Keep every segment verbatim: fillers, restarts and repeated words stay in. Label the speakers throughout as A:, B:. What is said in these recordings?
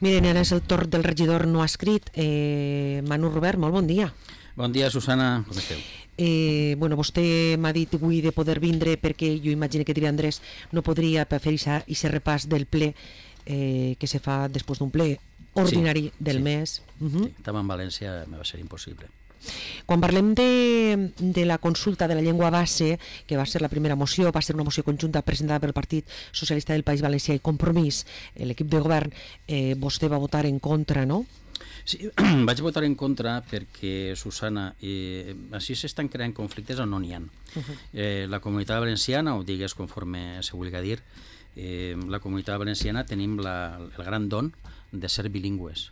A: Miren, ara és el torn del regidor no escrit. Eh, Manu Robert, molt bon dia.
B: Bon dia, Susana, com esteu?
A: Eh, bueno, vostè m'ha dit avui de poder vindre perquè jo imagino que divendres no podria per fer aquest repàs del ple eh, que se fa després d'un ple ordinari sí, del
B: sí.
A: mes. Uh -huh.
B: Sí, estava en València, me va ser impossible.
A: Quan parlem de, de la consulta de la llengua base, que va ser la primera moció, va ser una moció conjunta presentada pel Partit Socialista del País Valencià i Compromís, l'equip de govern, eh, vostè va votar en contra, no?
B: Sí, vaig votar en contra perquè, Susana, eh, així s'estan creant conflictes on no n'hi ha. Uh -huh. eh, la comunitat valenciana, o digues conforme se vulgui dir, eh, la comunitat valenciana tenim la, el gran don de ser bilingües.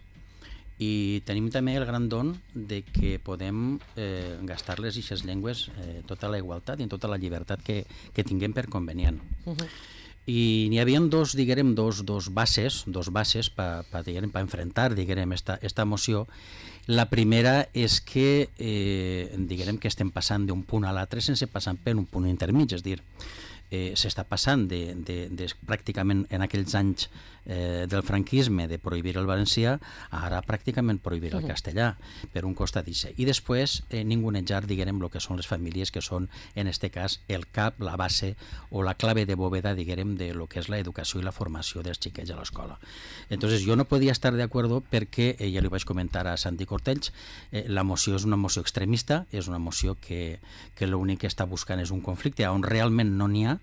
B: I tenim també el gran don de que podem eh, gastar-les aquestes llengües eh, tota la igualtat i en tota la llibertat que, que tinguem per convenient. Uh -huh. I n'hi havia dos, diguem, dos, dos bases, dos bases per pa, pa enfrentar, diguem, esta, esta moció. La primera és que, eh, diguem, que estem passant d'un punt a l'altre sense passar per un punt intermig, és a dir, eh, s'està passant de, de, de pràcticament en aquells anys eh, del franquisme de prohibir el valencià a ara pràcticament prohibir el castellà per un costat d'això. I després eh, ningunejar, diguem, el que són les famílies que són, en este cas, el cap, la base o la clave de bóveda, diguem, de lo que és l'educació i la formació dels xiquets a l'escola. Entonces, jo no podia estar d'acord perquè, eh, ja li vaig comentar a Santi Cortells, eh, la moció és una moció extremista, és una moció que, que l'únic que està buscant és un conflicte on realment no n'hi ha,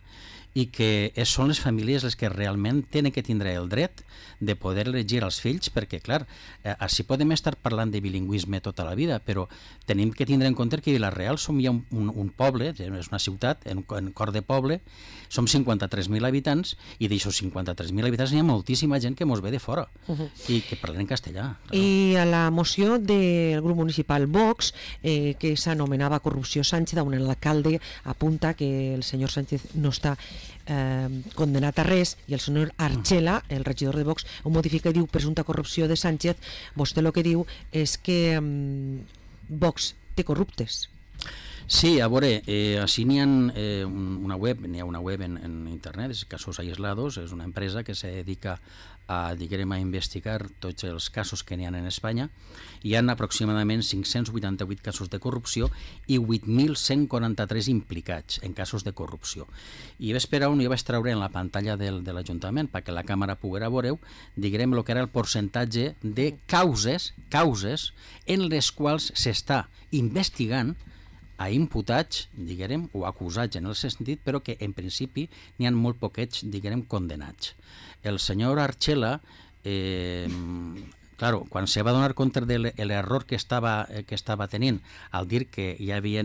B: i que són les famílies les que realment tenen que tindre el dret de poder elegir els fills, perquè, clar, eh, així podem estar parlant de bilingüisme tota la vida, però tenim que tindre en compte que Vila-real som ja un, un, un poble, és una ciutat, en, en cor de poble, som cinquanta-tres mil habitants, i d'aixòs cinquanta-tres mil habitants hi ha moltíssima gent que mos ve de fora, uh -huh. i que parlen en castellà. Clar.
A: I a la moció del grup municipal Vox, eh, que s'anomenava Corrupció Sánchez, on l'alcalde apunta que el senyor Sánchez no està eh, condenat a res, i el senyor Archela, el regidor de Vox, ho modifica i diu presumpta corrupció de Sánchez. Vostè el que diu és que eh, Vox té corruptes.
B: Sí, a veure, eh, així n'hi ha eh, una web, n'hi ha una web en, en internet, és Casos Aislados, és una empresa que se dedica a, diguem, a investigar tots els casos que n'hi ha en Espanya. Hi ha aproximadament cinc-cents vuitanta-vuit casos de corrupció i vuit mil cent quaranta-tres implicats en casos de corrupció. I vaig esperar on jo vaig treure en la pantalla del, de l'Ajuntament perquè la càmera poguera veure, diguem, el que era el percentatge de causes, causes en les quals s'està investigant a imputats, diguem, o acusats en el sentit, però que en principi n'hi ha molt poquets, diguem, condenats. El senyor Archela, eh, claro, quan se va donar compte de l'error que estava, que estava tenint al dir que hi havia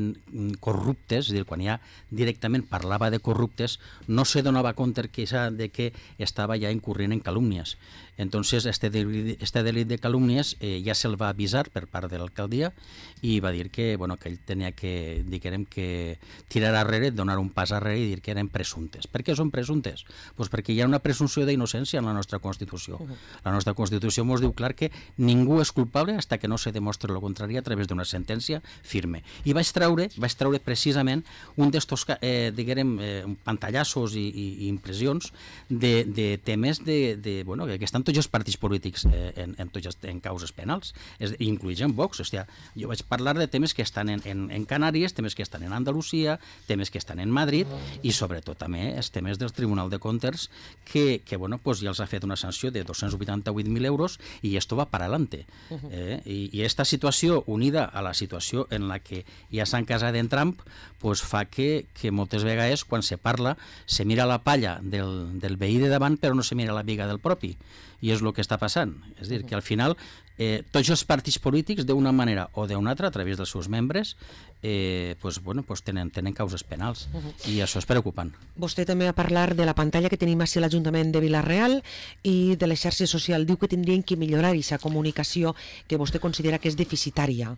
B: corruptes, és a dir, quan ja directament parlava de corruptes, no se donava compte que, de que estava ja incurrint en calúmnies. Entonces, este delit, este delit de calúmnies eh, ja se'l va avisar per part de l'alcaldia i va dir que, bueno, que ell tenia que, diguem, que tirar arrere, donar un pas arrere i dir que eren presumptes. Per què són presumptes? Pues perquè hi ha una presumpció d'innocència en la nostra Constitució. La nostra Constitució ens diu clar que ningú és culpable fins que no se demostri el contrari a través d'una sentència firme. I vaig treure, vaig treure precisament un d'estos, eh, diguem, eh, pantallassos i, i, i impressions de, de temes de, de, bueno, que estan tots els partits polítics eh, en, en, tots, en causes penals, incluïen Vox. Hòstia, jo vaig parlar de temes que estan en, en, en Canàries, temes que estan en Andalusia, temes que estan en Madrid i sobretot també els temes del Tribunal de Comptes que, que bueno, pues ja els ha fet una sanció de dos-cents vuitanta-vuit mil euros i esto va para adelante. Eh? I, I esta situació unida a la situació en la que ja s'han casat en Trump pues fa que, que moltes vegades quan se parla se mira la palla del, del veí de davant però no se mira la biga del propi. I és el que està passant. És a dir, que al final eh, tots els partits polítics d'una manera o d'una altra, a través dels seus membres, eh, pues, bueno, pues tenen, tenen causes penals. Uh -huh. I això és preocupant.
A: Vostè també va parlar de la pantalla que tenim a l'Ajuntament de Vila-real i de les xarxes socials. Diu que tindrien que millorar aquesta comunicació que vostè considera que és deficitària.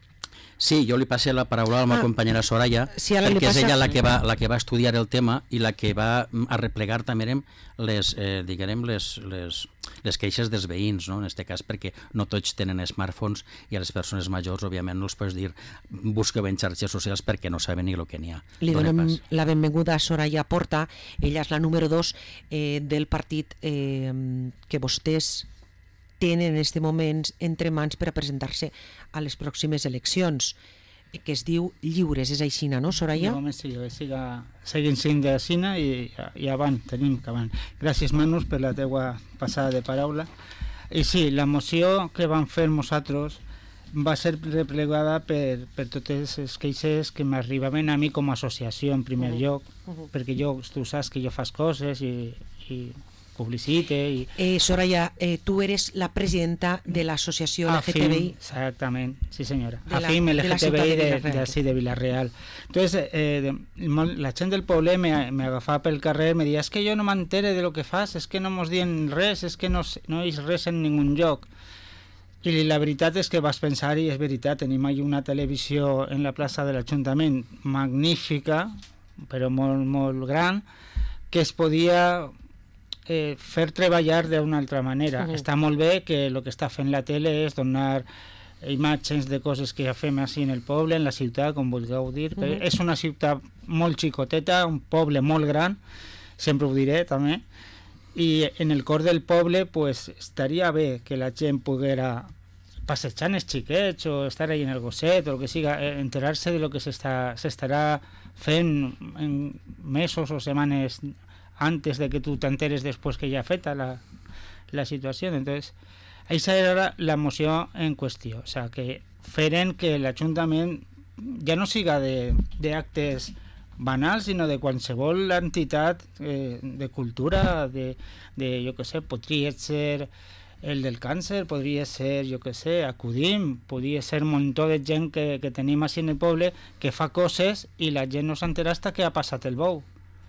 B: Sí, jo li passé la paraula a la meva ah, companyera Soraya,
A: sí,
B: perquè
A: passa...
B: és ella la que, va, la que va estudiar el tema i la que va arreplegar també les, eh, diguem, les, les, les queixes dels veïns, no? En aquest cas, perquè no tots tenen smartphones i a les persones majors, òbviament, no els pots dir busqueu en xarxes socials perquè no saben ni el que n'hi ha.
A: Li donem la benvinguda a Soraya Porta, ella és la número dos eh, del partit eh, que vostès tenen en aquest moment entre mans per a presentar-se a les pròximes eleccions, que es diu lliures, és així, no, Soraya?
C: De moment sí, que siga, seguint sent de Xina i, i avant, tenim que avant. Gràcies, Manus, per la teua passada de paraula. I sí, la moció que vam fer nosaltres va ser replegada per, per totes les queixes que m'arribaven a mi com a associació en primer uh-huh. lloc, uh-huh. perquè jo, tu saps que jo fas coses i, i publicite i...
A: Eh, Soraya, eh, tu eres la presidenta de l'associació L G T B I.
C: Exactament, sí senyora.
A: De la,
C: AFIM L G T B I
A: de,
C: de,
A: de,
C: de, de, de Villarreal. Entonces, eh, de, la gent del poble m'agafava pel carrer, me deia, és que jo no m'entere de lo que fas, és que no mos dient res, és que no, no és res en ningun lloc. I la veritat és que vas pensar, i és veritat, tenim allà una televisió en la plaça de l'Ajuntament magnífica, però molt, molt gran, que es podia eh, fer treballar d'una altra manera. Uh-huh. Està molt bé que el que està fent la tele és donar imatges de coses que ja fem així en el poble, en la ciutat, com vulgueu dir. Uh-huh. Però és una ciutat molt xicoteta, un poble molt gran, sempre ho diré també, i en el cor del poble pues, estaria bé que la gent poguera passejar els xiquets o estar ahí en el gosset o el que siga, enterar-se de lo que s'estarà fent en mesos o setmanes antes de que tu t'enteres després que ja ha feta la, la situació. Entonces, aquesta era la moció en qüestió, o sea, que feren que l'Ajuntament ja no siga d'actes banals, sinó de qualsevol entitat eh, de cultura, de, de, jo què sé, podria ser el del càncer, podria ser, jo què sé, Acudim, podria ser un muntó de gent que, que tenim així en el poble que fa coses i la gent no s'entera hasta que ha passat el bou.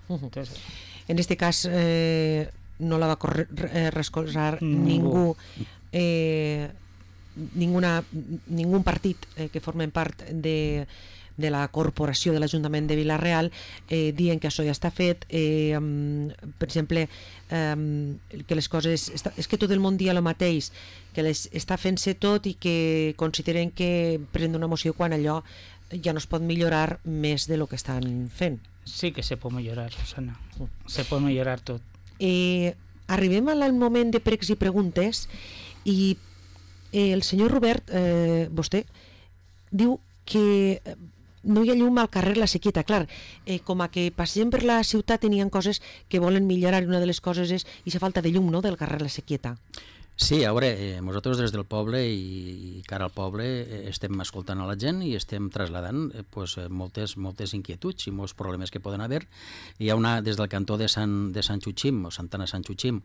C: Uh-huh. Entonces,
A: en este cas eh, no la va corre, eh, recolzar ningú, eh, ninguna, ningún partit eh, que formen part de de la corporació de l'Ajuntament de Vila-real, eh, dient que això ja està fet, eh, um, per exemple, um, que les coses... Està, és que tot el món dia el mateix, que les està fent-se tot i que consideren que prenen una moció quan allò ja no es pot millorar més de lo que estan fent.
C: Sí que se pot millorar, Susana. Se pot millorar tot.
A: Eh, arribem al moment de pregs i preguntes i eh, el senyor Robert, eh, vostè, diu que no hi ha llum al carrer La Sequieta. Clar, eh, com a que passem per la ciutat tenien coses que volen millorar i una de les coses és aquesta falta de llum, no?, del carrer La Sequieta.
B: Sí, a veure, eh, nosaltres des del poble i, i cara al poble eh, estem escoltant a la gent i estem traslladant eh, pues, eh, moltes, moltes inquietuds i molts problemes que poden haver. Hi ha una des del cantó de Sant, de Sant Xuxim, o Santana Sant Xuxim,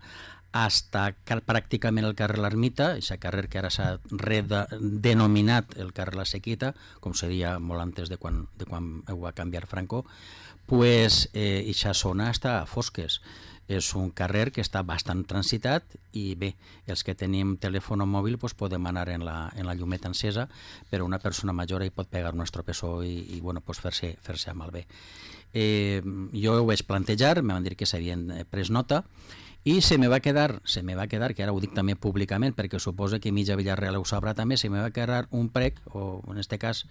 B: hasta pràcticament el carrer L'Ermita, aquest carrer que ara s'ha redenominat el carrer La Sequita, com seria molt antes de quan, de quan ho va canviar Franco, pues eh, aquesta zona està a fosques. És un carrer que està bastant transitat i bé, els que tenim telèfon mòbil pues, podem anar en la, en la llumeta encesa, però una persona major hi pot pegar un estropessó i, i bueno, pues, fer-se fer-se malbé. Eh, jo ho vaig plantejar, em van dir que s'havien pres nota i se me va quedar, se me va quedar, que ara ho dic també públicament perquè suposa que mitja Villarreal ho sabrà també, se me va quedar un prec, o en este cas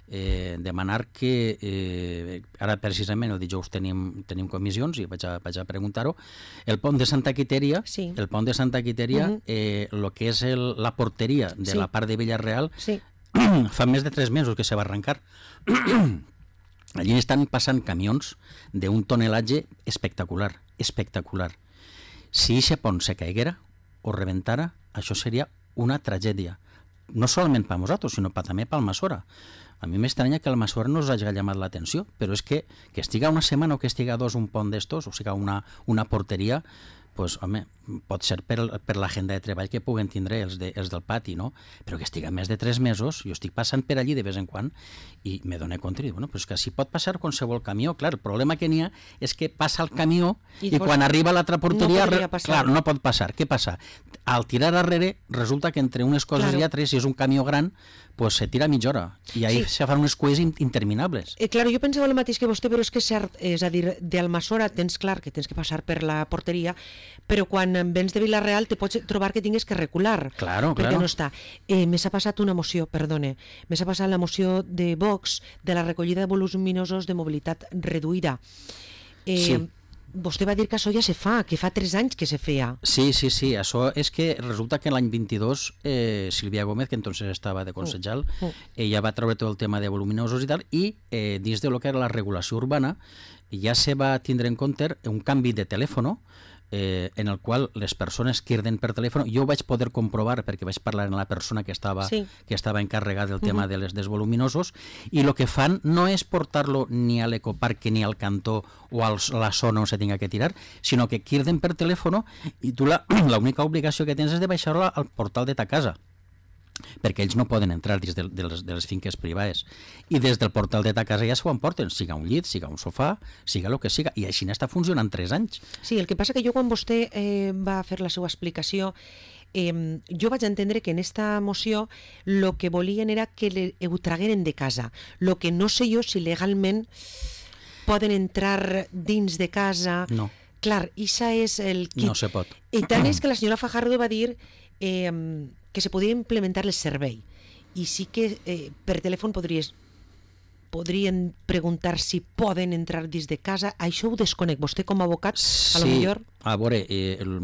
B: eh, demanar que eh, ara precisament el dijous tenim, tenim comissions i vaig a, vaig a preguntar-ho, el pont de Santa Quiteria, sí. el pont de Santa Quiteria, uh-huh. eh, lo que és el, la porteria de sí. la part de Villarreal, sí. fa més de tres mesos que se va arrencar. Allí estan passant camions d'un tonelatge espectacular, espectacular. Si aquest pont se caiguera o rebentara, això seria una tragèdia. No solament per nosaltres, sinó també per Almassora. A mi m'estranya que Almassora no us hagi llamat l'atenció, però és que que estiga una setmana o que estiga dos un pont d'estos, o sigui una, una porteria, pues, home, pot ser per, per l'agenda de treball que puguen tindre els, de, els del pati, no? Però que estiga més de tres mesos, jo estic passant per allí de vez en quan i me dono compte, i dic, bueno, però és que si pot passar qualsevol camió, clar, el problema que n'hi ha és que passa el camió i, i quan arriba a l'altra porteria, no clar, no pot passar. Què passa? Al tirar darrere, resulta que entre unes coses claro. i altres, si és un camió gran, pues se tira mitja hora i ahí sí. se fan unes cues interminables.
A: Eh, claro, jo pensava el mateix que vostè, però és que és cert, és a dir, d'Almassora tens clar que tens que passar per la porteria, però quan vens de Vila-real te pots trobar que tingues que recular,
B: claro,
A: perquè
B: claro.
A: no està. Eh, me s'ha passat una moció, perdone, me s'ha passat la moció de Vox de la recollida de voluminosos de mobilitat reduïda. Eh,
B: sí.
A: vostè va dir que això ja se fa, que fa tres anys que se feia.
B: Sí, sí, sí, això és que resulta que l'any vint-i-dos eh, Sílvia Gómez, que entonces estava de concejal, uh, uh. ella va treure tot el tema de voluminosos i tal, i eh, dins de lo que era la regulació urbana ja se va tindre en compte un canvi de telèfon eh, en el qual les persones criden per telèfon, jo ho vaig poder comprovar perquè vaig parlar amb la persona que estava, sí. que estava encarregada del tema uh -huh. de les, dels voluminosos, i el que fan no és portar-lo ni a l'ecoparc ni al cantó o a la zona on se tinga que tirar, sinó que criden per telèfon i tu l'única obligació que tens és de baixar-lo al portal de ta casa, perquè ells no poden entrar dins de, de, les, de les finques privades, i des del portal de ta casa ja s'ho emporten, siga un llit, siga un sofà, siga el que siga, i així n'està funcionant tres anys.
A: Sí, el que passa que jo quan vostè eh, va fer la seva explicació, eh, jo vaig entendre que en esta moció el que volien era que le, ho tragueren de casa, el que no sé jo si legalment poden entrar dins de casa.
B: No.
A: Clar, això és el...
B: Kit. No se pot.
A: I tant és que la senyora Fajardo va dir eh, que se podia implementar el servei, i sí que eh, per telèfon podries podrien preguntar si poden entrar dins de casa. Això ho desconec. Vostè com a abocat, a lo
B: sí,
A: millor...
B: a veure, eh, el,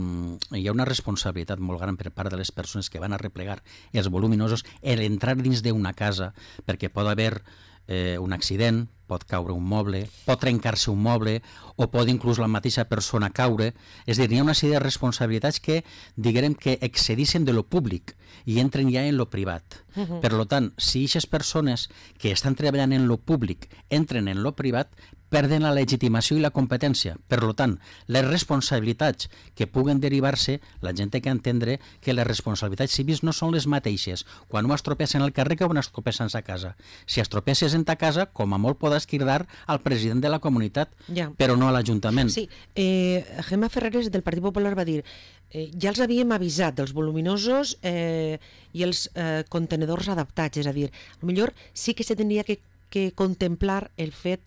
B: hi ha una responsabilitat molt gran per part de les persones que van a replegar els voluminosos en entrar dins d'una casa, perquè pot haver eh, un accident, pot caure un moble, pot trencar-se un moble, o pot inclús la mateixa persona caure. És a dir, hi ha una sèrie de responsabilitats que, diguem, que excedixen de lo públic i entren ja en lo privat. Uh -huh. Per tant, si aquestes persones que estan treballant en lo públic entren en lo privat, perden la legitimació i la competència. Per tant, les responsabilitats que puguen derivar-se, la gent té que entendre que les responsabilitats civils no són les mateixes quan ho estropes en el carrer que quan estropes en sa casa. Si estropesses en ta casa, com a molt podràs cridar al president de la comunitat, ja. però no a l'Ajuntament.
A: Sí, eh, Gemma Ferreres del Partit Popular va dir eh, ja els havíem avisat dels voluminosos eh, i els eh, contenedors adaptats, és a dir, potser sí que se tindria que, que contemplar el fet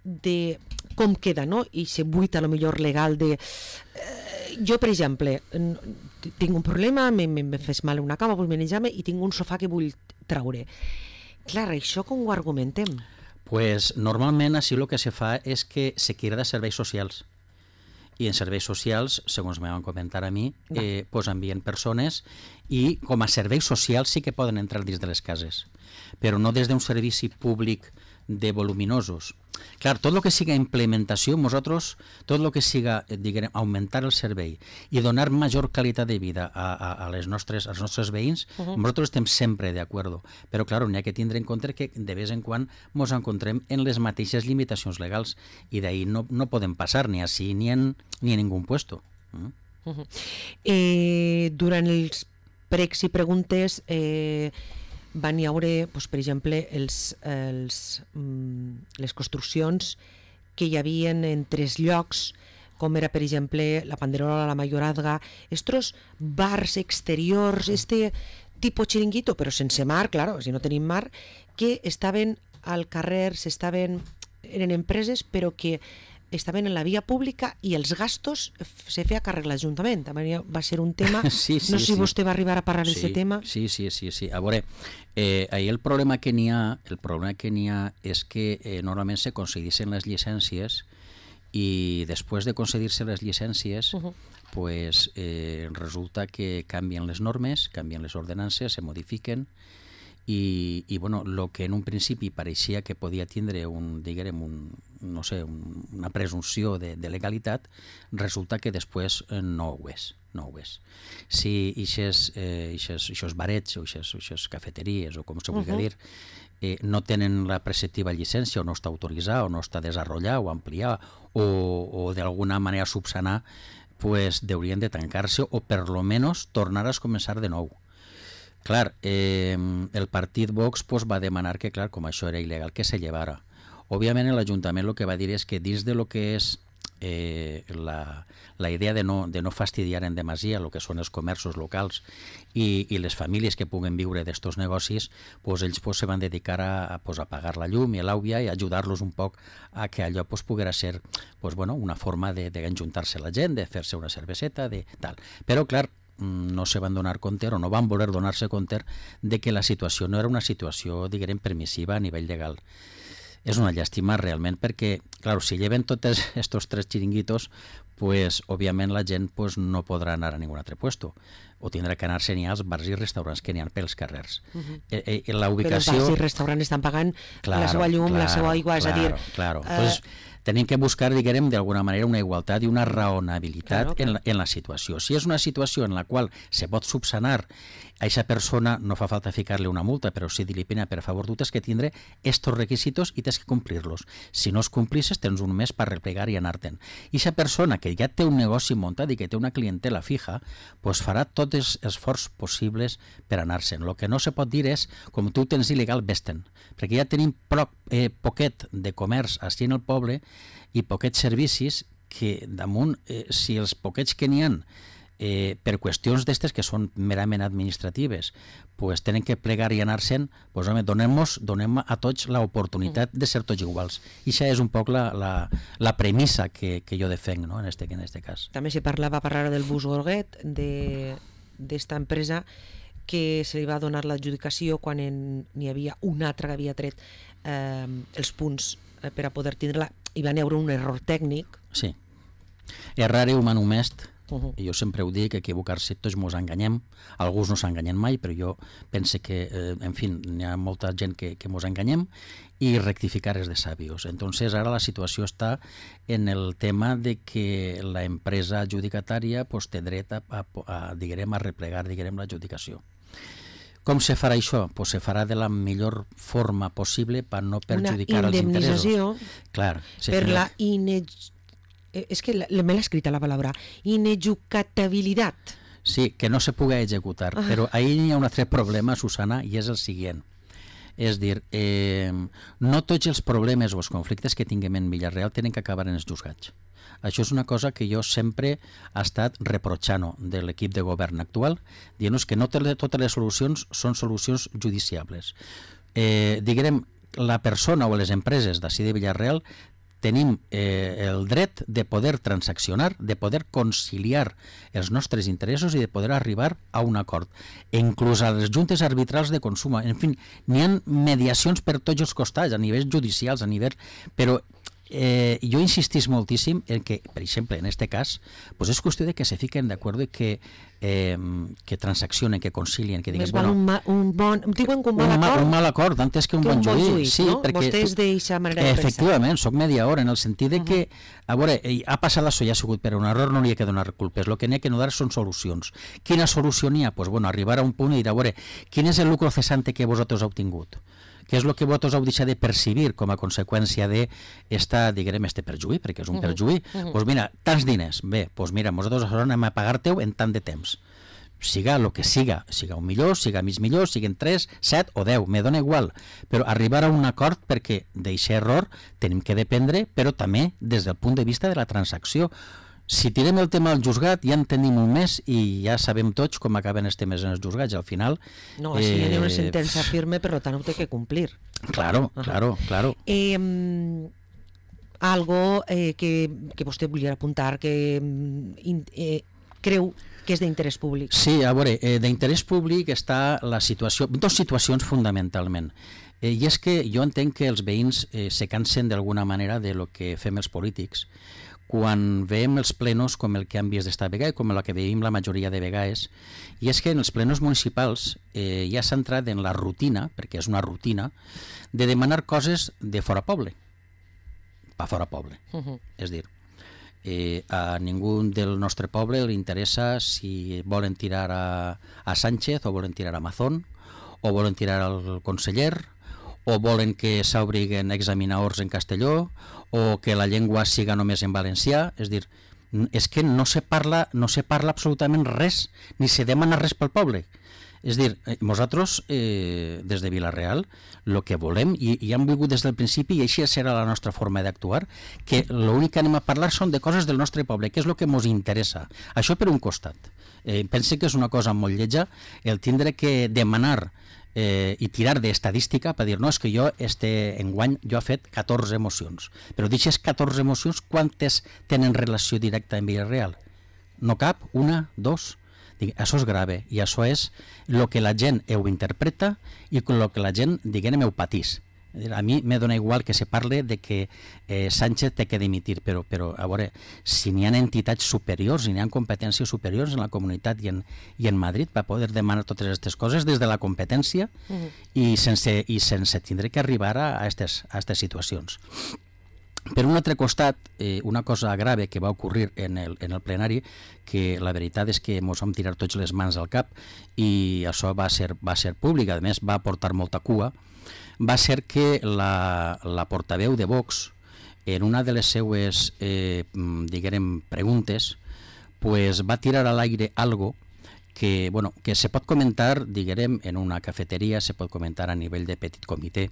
A: de com queda, no? I se buita a lo millor legal de... Eh, jo, per exemple, tinc un problema, me, me, me fes mal una cama, vull manejar-me i tinc un sofà que vull traure. Clar, això com ho argumentem?
B: Pues normalment així el que se fa és que se crida de serveis socials. I en serveis socials, segons me van comentar a mi, eh, pues envien persones i com a serveis socials sí que poden entrar dins de les cases, però no des d'un servici públic de voluminosos. Clar, tot el que siga implementació, nosaltres, tot el que siga, diguem, augmentar el servei i donar major qualitat de vida a, a, a les nostres, als nostres veïns, uh -huh. nosaltres estem sempre d'acord. Però, clar, n'hi ha que tindre en compte que de vez en quan ens encontrem en les mateixes limitacions legals i d'ahir no, no podem passar ni així ni en, ni en ningú puesto. Uh?
A: Uh -huh. eh, durant els pregs i preguntes... Eh, van hi haure, doncs, per exemple, els, els, les construccions que hi havien en tres llocs, com era, per exemple, la Panderola, la Mayorazga, estos bars exteriors, este tipus xiringuito, però sense mar, claro, si no tenim mar, que estaven al carrer, s'estaven, eren empreses, però que estaven en la via pública i els gastos se feia càrrec l'Ajuntament. Va ser un tema...
B: Sí, sí,
A: no sé si
B: sí.
A: vostè va arribar a parlar
B: sí,
A: d'aquest tema.
B: Sí, sí, sí, sí. A veure, eh, ahir el problema que n'hi ha, el problema que n'hi ha és que eh, normalment se concedissin les llicències i després de concedir-se les llicències, uh -huh. pues, eh, resulta que canvien les normes, canvien les ordenances, se modifiquen, i, i bueno, lo que en un principi pareixia que podia tindre un, diguem, un, no sé, un, una presumpció de, de legalitat, resulta que després eh, no ho és, no ho és. Si ixes, eh, ixes, ixos barets o ixes, ixes cafeteries o com se vulgui uh -huh. dir, eh, no tenen la preceptiva llicència o no està autoritzada o no està desenvolupada o ampliada o, o d'alguna manera subsanar, pues deurien de tancar-se o per lo menos tornar a començar de nou. Clar, eh, el partit Vox pues, va demanar que, clar, com això era il·legal, que se llevara. Òbviament l'Ajuntament el que va dir és que dins de lo que és eh, la, la idea de no, de no fastidiar en demasia el que són els comerços locals i, i les famílies que puguen viure d'estos negocis, pues, ells pues, se van dedicar a, a, pues, a pagar la llum i l'àvia i ajudar-los un poc a que allò pues, poguera ser pues, bueno, una forma d'enjuntar-se la gent, de fer-se una cerveseta, de tal. Però, clar, no se van donar compte o no van voler donar-se compte de que la situació no era una situació, diguem, permissiva a nivell legal. és una llàstima realment perquè, clar, si lleven tots estos tres xiringuitos, pues, òbviament la gent pues, no podrà anar a ningun altre puesto o tindrà que anar-se ni als bars i restaurants que n'hi ha pels carrers. Uh-huh. eh, eh, la ubicació...
A: Però els bars i restaurants estan pagant
B: claro,
A: la seva llum,
B: claro,
A: la seva aigua,
B: claro,
A: és a dir...
B: Claro,
A: eh...
B: Entonces, tenim que buscar, diguem, d'alguna manera una igualtat i una raonabilitat claro, claro. En, la, en la situació. Si és una situació en la qual se pot subsanar a aquesta persona, no fa falta ficar-li una multa, però si dir-li pena, per favor, tu tens que tindre estos requisitos i tens que complir-los. Si no els complisses, tens un mes per replegar i anar-te'n. I aquesta persona que ja té un negoci muntat i que té una clientela fija, pues farà tots els esforços possibles per anar-se'n. El que no se pot dir és, com tu tens il·legal, vés-te'n. Perquè ja tenim pro, eh, poquet de comerç així en el poble i poquets servicis que damunt, eh, si els poquets que n'hi ha eh, per qüestions d'estes que són merament administratives, pues tenen que plegar i anar-se'n, pues home, donem-nos, donem a tots l'oportunitat de ser tots iguals. I això és un poc la, la, la premissa que, que jo defenc, no?, en este, en este cas.
A: També se parlava per ara del bus Gorguet, d'esta empresa que se li va donar l'adjudicació quan n'hi havia una altra que havia tret eh, els punts eh, per a poder tindre-la, i va haver un error tècnic.
B: Sí. Errare humanum est.
A: Uh-huh.
B: Jo sempre ho dic, equivocar-se tots mos enganyem, alguns no s'enganyen mai, però jo pense que, eh, en fi, hi ha molta gent que, que mos enganyem i rectificar és de sabios. Entonces ara la situació està en el tema de que la empresa adjudicatària pues, té dret a, a, a, diguem, a replegar diguem, l'adjudicació. Com se farà això? Pues se farà de la millor forma possible per no perjudicar els interessos.
A: Una indemnització
B: Clar, sí,
A: per la inej... És que me l'ha escrita la paraula inejucatabilitat.
B: Sí, que no se pugui executar. Ah. Però ahí hi ha un altre problema, Susana, i és el següent. És dir, eh, no tots els problemes o els conflictes que tinguem en Villarreal tenen que acabar en els juzgats. Això és una cosa que jo sempre he estat reprotxant de l'equip de govern actual, dient-nos que no totes les solucions són solucions judiciables. Eh, diguem, la persona o les empreses d'ací de Villarreal tenim eh, el dret de poder transaccionar, de poder conciliar els nostres interessos i de poder arribar a un acord. Inclús a les juntes arbitrals de consum. En fi, n'hi ha mediacions per tots els costats, a nivells judicials, a nivell... Però eh, jo insistís moltíssim en que, per exemple, en aquest cas, pues és qüestió de que se fiquen d'acord i que, eh, que transaccionen, que concilien, que diguen...
A: Més val un, ma, un bon... Diuen que un bon
B: un
A: acord...
B: Un mal acord, antes que un,
A: que
B: bon,
A: un bon
B: juí.
A: juí,
B: Sí,
A: no?
B: perquè,
A: Vostè és d'eixa manera de pensar.
B: Efectivament, soc mediador, en el sentit de que, a veure, ha passat això, ja ha sigut per un error, no li ha que donar culpes. El que n'hi ha que donar són solucions. Quina solució n'hi ha? Pues, bueno, arribar a un punt i dir, a veure, quin és el lucro cesante que vosaltres heu obtingut? Què és el que vosaltres heu deixat de percibir com a conseqüència d'esta, diguem, este perjuí, perquè és un perjuí? Doncs uh -huh. pues mira, tants diners. Bé, doncs mira, nosaltres anem a pagar-te-ho en tant de temps. Siga el que siga, siga un milió, siga mig milió, siguen tres, set o deu, me dona igual, però arribar a un acord perquè d'aquest error tenim que dependre, però també des del punt de vista de la transacció. Si tirem el tema al juzgat, ja en tenim un mes i ja sabem tots com acaben els temes en els juzgats. Al final...
A: No, així eh, hi ha una sentència firme, per tant ho té que complir.
B: Claro, uh-huh. claro, claro.
A: Eh, algo eh, que, que vostè volia apuntar, que eh, creu que és d'interès públic.
B: Sí, a veure, eh, d'interès públic està la situació, dues situacions fundamentalment. Eh, I és que jo entenc que els veïns eh, se cansen d'alguna manera de lo que fem els polítics quan veiem els plenos com el que han vist d'esta vegada i com el que veiem la majoria de vegades, i és que en els plenos municipals eh, ja s'ha entrat en la rutina, perquè és una rutina, de demanar coses de fora poble, pa fora poble. Uh-huh. És dir, eh, a ningú del nostre poble li interessa si volen tirar a, a Sánchez o volen tirar a Mazón o volen tirar al conseller o volen que s'obriguen examinadors en castelló o que la llengua siga només en valencià. És dir, és que no se parla, no se parla absolutament res, ni se demana res pel poble. És dir, nosaltres, eh, des de Vila-real, el que volem, i, i hem vingut des del principi, i així serà la nostra forma d'actuar, que l'únic que anem a parlar són de coses del nostre poble, que és el que ens interessa. Això per un costat. Eh, pense que és una cosa molt lletja el tindre que demanar Eh, i tirar d'estadística per dir, no, és que jo este enguany jo he fet catorze mocions, però d'aquestes catorze mocions quantes tenen relació directa amb Villarreal? No cap? Una? Dos? Dic, això és grave i això és el que la gent ho interpreta i el que la gent, diguem, ho patís. A mi me dona igual que se parle de que eh, Sánchez té que dimitir, però, però a veure, si n'hi ha entitats superiors, si n'hi ha competències superiors en la comunitat i en, i en Madrid per poder demanar totes aquestes coses des de la competència uh-huh. i, sense, i sense tindre que arribar a aquestes a aquestes situacions. Per un altre costat, eh, una cosa grave que va ocorrir en el, en el plenari, que la veritat és que ens vam tirar tots les mans al cap i això va ser, va ser públic, a més va portar molta cua, va ser que la, la portaveu de Vox, en una de les seues eh, diguem, preguntes, pues, va tirar a l'aire algo que, bueno, que se pot comentar, diguem, en una cafeteria, se pot comentar a nivell de petit comitè,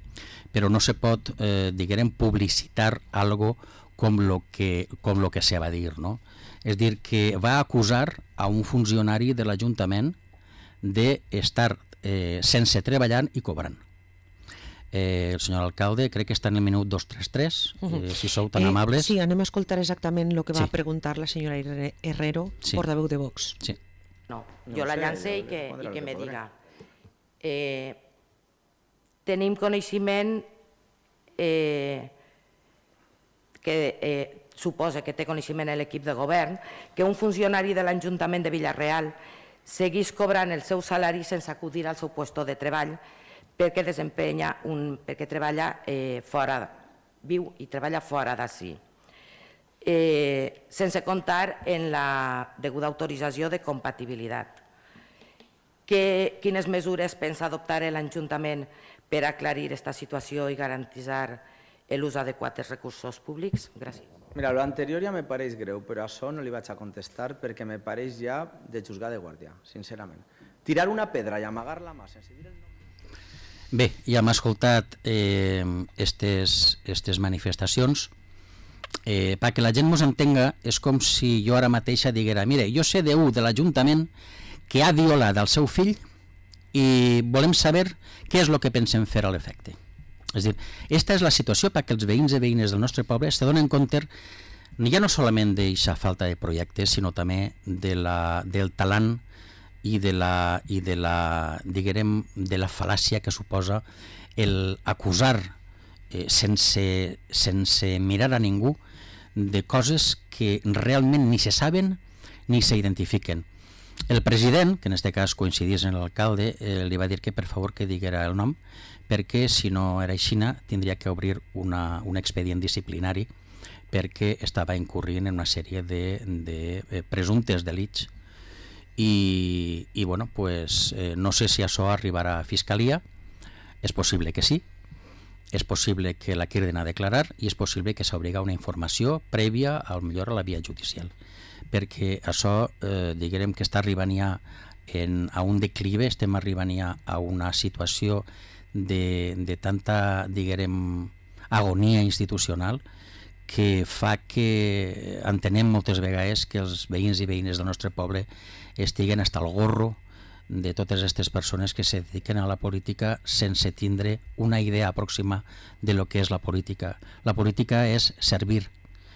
B: però no se pot, eh, diguem, publicitar algo com lo que, com lo que se va dir, no? És dir, que va acusar a un funcionari de l'Ajuntament d'estar eh, sense treballant i cobrant. Eh, el senyor alcalde, crec que està en el minut dos trenta tres, uh-huh. eh, si sou tan
A: eh,
B: amables.
A: Sí, anem a escoltar exactament el que va
B: sí.
A: preguntar la senyora Herrero,
B: sí.
A: portaveu de Vox.
B: Sí.
D: No, jo la llance i que, i que me diga. Eh, tenim coneixement eh, que eh, suposa que té coneixement l'equip de govern que un funcionari de l'Ajuntament de Vila-real seguís cobrant el seu salari sense acudir al seu lloc de treball perquè desempenya un, perquè treballa eh, fora, viu i treballa fora d'ací. Eh, sense comptar en la deguda autorització de compatibilitat. Que, quines mesures pensa adoptar l'Ajuntament per aclarir aquesta situació i garantir l'ús adequat dels recursos públics? Gràcies.
E: Mira, lo anterior ja me pareix greu, però això no li vaig a contestar perquè me pareix ja de juzgar de guàrdia, sincerament. Tirar una pedra i amagar-la mà sense dir el nom.
B: Bé, ja hem escoltat eh, estes, estes manifestacions. Eh, perquè la gent ens entenga, és com si jo ara mateixa diguera, mire, jo sé d'un de l'Ajuntament que ha violat el seu fill i volem saber què és el que pensem fer a l'efecte. És a dir, aquesta és la situació perquè els veïns i veïnes del nostre poble se donen compte ja no solament d'aquesta falta de projectes, sinó també de la, del talant i de la, i de la, diguem, de la fal·làcia que suposa el acusar eh, sense, sense mirar a ningú de coses que realment ni se saben ni s'identifiquen. El president, que en aquest cas coincidís en l'alcalde, eh, li va dir que per favor que diguera el nom, perquè si no era així tindria que obrir una, un expedient disciplinari perquè estava incurrint en una sèrie de, de eh, presumptes delits i, i bueno, pues, eh, no sé si això arribarà a Fiscalia, és possible que sí, és possible que la queden a declarar i és possible que s'obliga una informació prèvia, al millor a la via judicial, perquè això, eh, diguem que està arribant ja en, a un declive, estem arribant ja a una situació de, de tanta, diguem, agonia institucional que fa que entenem moltes vegades que els veïns i veïnes del nostre poble estiguen hasta el gorro de totes aquestes persones que se dediquen a la política sense tindre una idea pròxima de lo que és la política. La política és servir,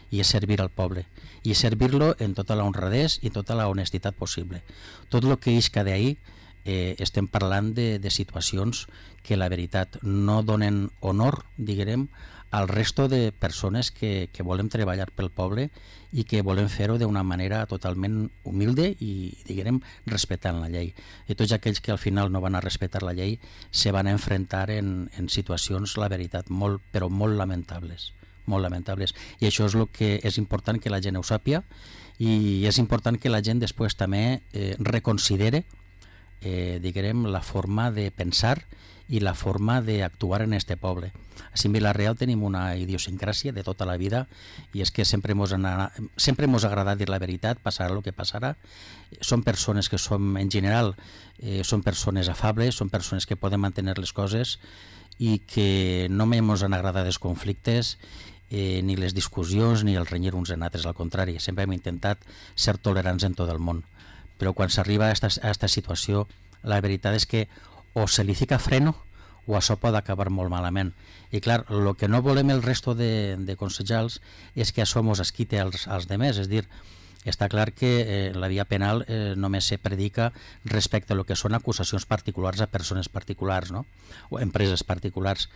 B: i és servir al poble, i és servir-lo en tota la honradesa i tota la honestitat possible. Tot el que isca d'ahir eh, estem parlant de, de situacions que la veritat no donen honor, diguem, al resto de persones que, que volem treballar pel poble i que volem fer-ho d'una manera totalment humilde i, diguem, respectant la llei. I tots aquells que al final no van a respectar la llei se van a enfrontar en, en situacions, la veritat, molt, però molt lamentables. molt lamentables. I això és el que és important que la gent ho sàpia i és important que la gent després també eh, reconsidere eh, diguem, la forma de pensar i la forma d'actuar en este poble. Així en Vila-real tenim una idiosincràsia de tota la vida i és que sempre mos, ha, sempre mos agrada dir la veritat, passarà el que passarà. Són persones que som, en general, eh, són persones afables, són persones que poden mantenir les coses i que no mos han agradat els conflictes, eh, ni les discussions, ni el renyir uns en altres, al contrari, sempre hem intentat ser tolerants en tot el món. Però quan s'arriba a aquesta situació, la veritat és que o se li fica freno o això pot acabar molt malament. I clar, el que no volem el resto de, de consellers és que això mos esquite als, als demés, és dir, està clar que eh, la via penal eh, només se predica respecte a lo que són acusacions particulars a persones particulars, no? O empreses particulars,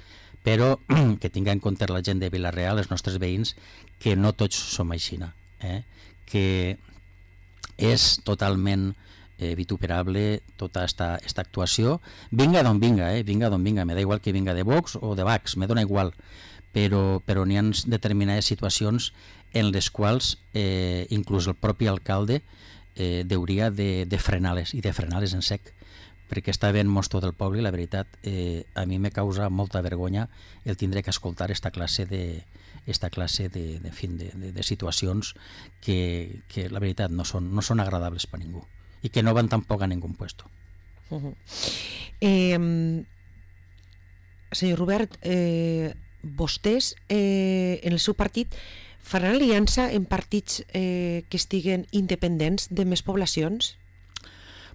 B: però que tinga en compte la gent de Vila-real, els nostres veïns, que no tots som aixina, eh? que és totalment eh, vituperable tota esta, esta actuació, vinga d'on vinga, eh? vinga d'on vinga, me da igual que vinga de Vox o de Vax, me dona igual, però, però n'hi ha determinades situacions en les quals eh, inclús el propi alcalde eh, hauria de, de frenar-les, i de frenar-les en sec, perquè està ben mostro del poble i la veritat eh, a mi me causa molta vergonya el tindre que escoltar esta classe de, esta classe de, de, fin, de, de, de situacions que, que la veritat no són, no són agradables per ningú i que no van tampoc a ningú puesto.
A: Uh-huh. eh, senyor Robert, eh, vostès eh, en el seu partit faran aliança en partits eh, que estiguen independents de més poblacions?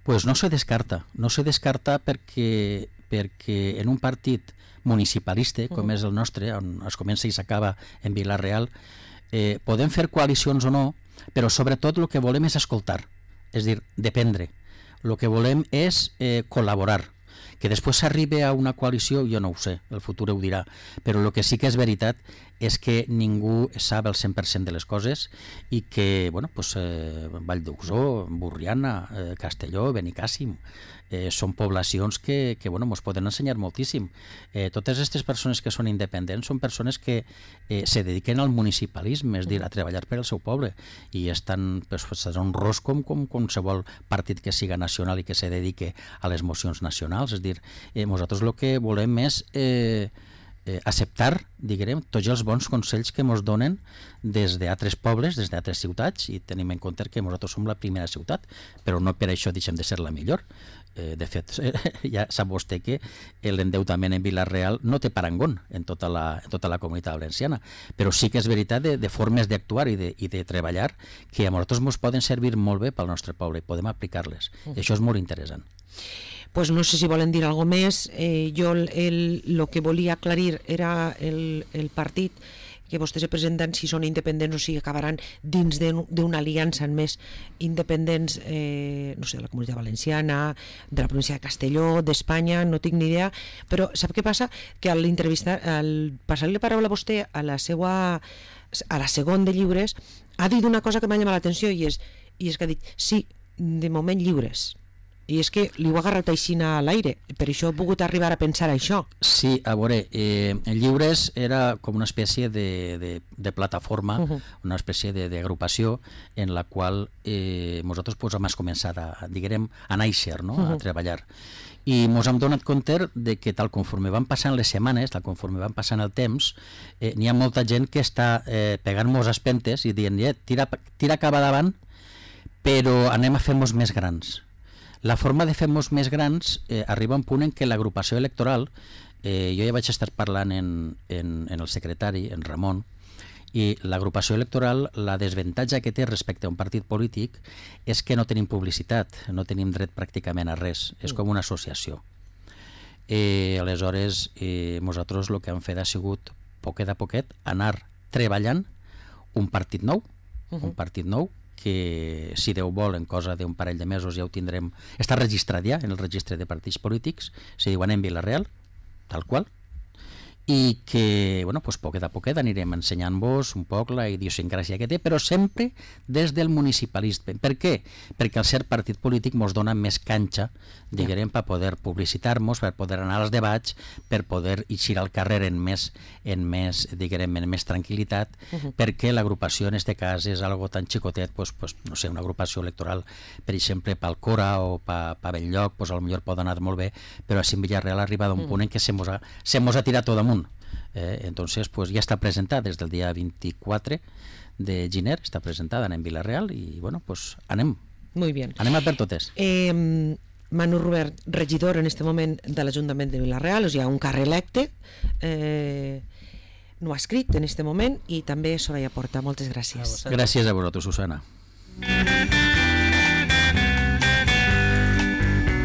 B: Pues no se descarta, no se descarta perquè, perquè en un partit municipalista com uh-huh. és el nostre, on es comença i s'acaba en Vila-real, eh, podem fer coalicions o no, però sobretot el que volem és escoltar, és dir, dependre. El que volem és eh, col·laborar. Que després s'arribi a una coalició, jo no ho sé, el futur ho dirà, però el que sí que és veritat és que ningú sap el cent per cent de les coses i que, bueno, pues, eh, Vall d'Uxó, Borriana, eh, Castelló, Benicàssim, eh, són poblacions que, que bueno, ens poden ensenyar moltíssim. Eh, totes aquestes persones que són independents són persones que eh, se dediquen al municipalisme, és a dir, a treballar per al seu poble, i estan pues, un ros com, com qualsevol partit que siga nacional i que se dedique a les mocions nacionals, és a dir, eh, nosaltres el que volem és eh, eh, acceptar, diguem, tots els bons consells que ens donen des d'altres pobles, des d'altres ciutats, i tenim en compte que nosaltres som la primera ciutat, però no per això deixem de ser la millor. Eh, de fet, eh, ja sap vostè que l'endeutament en Vila-real no té parangón en tota la, en tota la comunitat valenciana, però sí que és veritat de, de formes d'actuar i, de, i de treballar que a nosaltres ens poden servir molt bé pel nostre poble i podem aplicar-les. Uh. I això és molt interessant.
A: Pues no sé si volen dir alguna més. Eh, jo el, el, el que volia aclarir era el, el partit que vostès se presenten, si són independents o si acabaran dins d'una aliança en més independents, eh, no sé, de la Comunitat Valenciana, de la província de Castelló, d'Espanya, no tinc ni idea, però sap què passa? Que a l'entrevistar, al passar-li la paraula a vostè a la seva, a la segon de lliures, ha dit una cosa que m'ha llamat l'atenció i és, i és que ha dit, sí, de moment lliures. I és que li ho ha agarrat així a l'aire, per això he pogut arribar a pensar això.
B: Sí, a veure, eh, Lliures era com una espècie de, de, de plataforma, uh-huh. una espècie d'agrupació en la qual eh, nosaltres pues, hem començat a, diguem, a néixer, no? uh-huh. a treballar. I ens hem donat compte de que tal conforme van passant les setmanes, tal conforme van passant el temps, eh, n'hi ha molta gent que està eh, pegant-nos espentes i dient, eh, tira, tira cap davant, però anem a fer-nos més grans. La forma de fer-nos més grans eh, arriba a un punt en què l'agrupació electoral, eh, jo ja vaig estar parlant en, en, en el secretari, en Ramon, i l'agrupació electoral, la desavantatge que té respecte a un partit polític és que no tenim publicitat, no tenim dret pràcticament a res, és com una associació. Eh, aleshores, eh, nosaltres el que hem fet ha sigut, poquet a poquet, anar treballant un partit nou, uh-huh. un partit nou, que si Déu vol en cosa d'un parell de mesos ja ho tindrem, està registrat ja en el registre de partits polítics, se diuen en Vila-real, tal qual, i que, bueno, pues poquet a poquet anirem ensenyant-vos un poc la idiosincràsia que té, però sempre des del municipalisme. Per què? Perquè al ser partit polític ens dona més canxa, diguem, per poder publicitar-nos, per poder anar als debats, per poder eixir al carrer en més, en més, diguem, en més tranquil·litat, uh-huh. perquè l'agrupació en aquest cas és algo tan xicotet, pues, pues, no sé, una agrupació electoral, per exemple, pel Cora o per pa Belllloc, pues, potser pot anar molt bé, però a Villarreal ha arribat a un uh-huh. punt en què se mos ha, se mos ha tirat tot amunt. Eh, entonces pues ya está presentada desde el día veinticuatro de gener, está presentada en Vila-real y bueno, pues anem.
A: Muy bien.
B: Anem a per totes.
A: Eh, Manu Robert, regidor en este moment de l'Ajuntament de Vila-real, o sigui, un carrer electe, eh, no ha escrit en este moment, i també Soraya Porta. Moltes gràcies.
B: Gràcies a vosaltres, Susana.